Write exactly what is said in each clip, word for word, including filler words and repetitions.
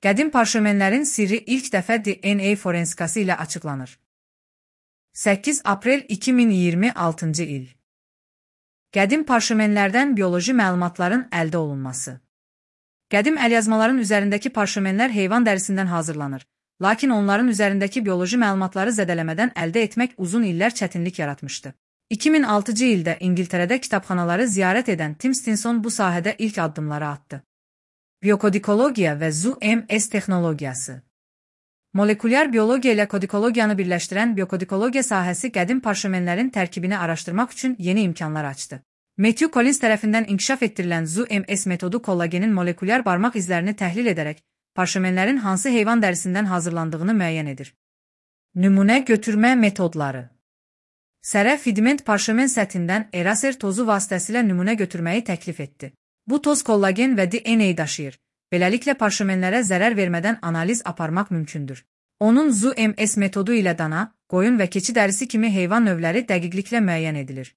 Qədim parşömenlərin sirri ilk dəfə D N A forensikası ilə açıqlanır. səkkiz aprel iki min iyirmi altıncı il. Qədim parşömenlərdən bioloji məlumatların əldə olunması. Qədim əlyazmaların üzərindəki parşömenlər heyvan dərisindən hazırlanır, lakin onların üzərindəki bioloji məlumatları zədələmədən əldə etmək uzun illər çətinlik yaratmışdı. iki min altıncı ildə İngiltərədə kitabxanaları ziyarət edən Tim Stinson bu sahədə ilk addımları atdı. Biokodikologiya və Z U M S texnologiyası. Molekulyar biologiya ilə kodikologiyanı birləşdirən biokodikologiya sahəsi qədim parşömenlərin tərkibini araşdırmaq üçün yeni imkanlar açdı. Matthew Collins tərəfindən inkişaf etdirilən Z U M S metodu kollagenin molekulyar barmaq izlərini təhlil edərək parşömenlərin hansı heyvan dərisindən hazırlandığını müəyyən edir. Nümunə götürmə metodları. Sərə fidment parşömen səthindən eraser tozu vasitəsilə nümunə götürməyi təklif etdi. Bu toz kollagen və D N A daşıyır. Beləliklə parşömenlərə zərər vermədən analiz aparmaq mümkündür. Onun Z U M S metodu ilə dana, qoyun və keçi dərisi kimi heyvan növləri dəqiqliklə müəyyən edilir.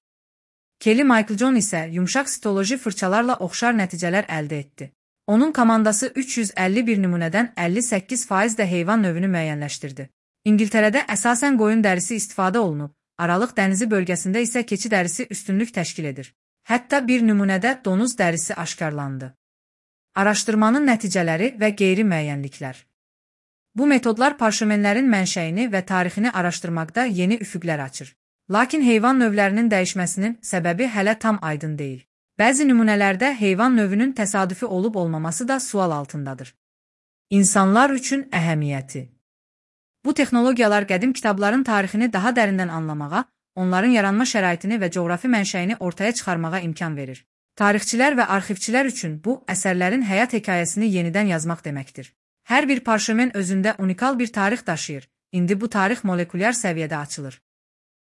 Kelly Michael-John isə yumşaq sitoloji fırçalarla oxşar nəticələr əldə etdi. Onun komandası üç yüz əlli bir nümunədən əlli səkkiz faiz də heyvan növünü müəyyənləşdirdi. İngiltərədə əsasən qoyun dərisi istifadə olunub, Aralıq dənizi bölgəsində isə keçi dərisi üstünlük təşkil edir. Hətta bir nümunədə donuz dərisi aşkarlandı. Araşdırmanın nəticələri və qeyri-müəyyənliklər. Bu metodlar parşömenlərin mənşəyini və tarixini araşdırmaqda yeni üfüqlər açır. Lakin heyvan növlərinin dəyişməsinin səbəbi hələ tam aydın deyil. Bəzi nümunələrdə heyvan növünün təsadüfi olub-olmaması da sual altındadır. İnsanlar üçün əhəmiyyəti. Bu texnologiyalar qədim kitabların tarixini daha dərindən anlamağa, onların yaranma şəraitini və coğrafi mənşəyini ortaya çıxarmağa imkan verir. Tarixçilər və arxivçilər üçün bu, əsərlərin həyat hekayəsini yenidən yazmaq deməkdir. Hər bir parşömen özündə unikal bir tarix daşıyır. İndi bu tarix molekulyar səviyyədə açılır.